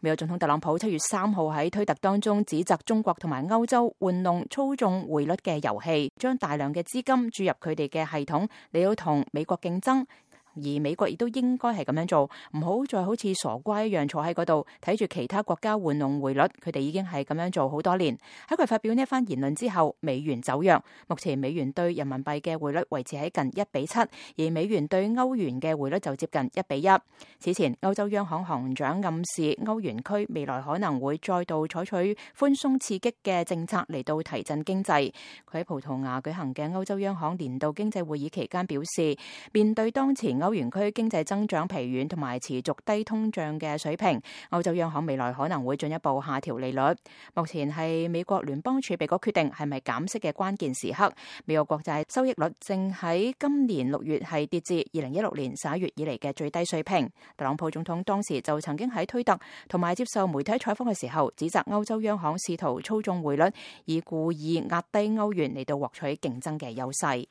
美國總統特朗普7月3號喺推特當中指責中國同埋歐洲玩弄操縱匯率嘅遊戲，將大量嘅資金注入佢哋嘅系統，嚟到同美國競爭。而美國亦都應該係咁樣做，唔好再好似傻瓜一樣坐喺嗰度睇住其他國家玩弄匯率。佢哋已經係咁樣做好多年。喺佢發表呢一番言論之後，美元走弱，目前美元對人民幣嘅匯率維持喺近1:7，而美元對歐元嘅匯率就接近1:1。此前歐洲央行行長暗示歐元區未來可能會再度採取寬鬆刺激嘅政策嚟到提振經濟。佢喺葡萄牙舉行嘅歐洲央行年度經濟會議期間表示，面對當前歐元區經濟增長疲軟同埋持續低通脹嘅水平，歐洲央行未來可能會進一步下調利率。目前係美國聯邦儲備局決定係咪減息嘅關鍵時刻。美國國債收益率正喺今年6月係跌至2016年11月以嚟嘅最低水平。特朗普總統當時就曾經喺推特同埋接受媒體採訪嘅時候，指責歐洲央行試圖操縱匯率，以故意壓低歐元嚟到獲取競爭嘅優勢。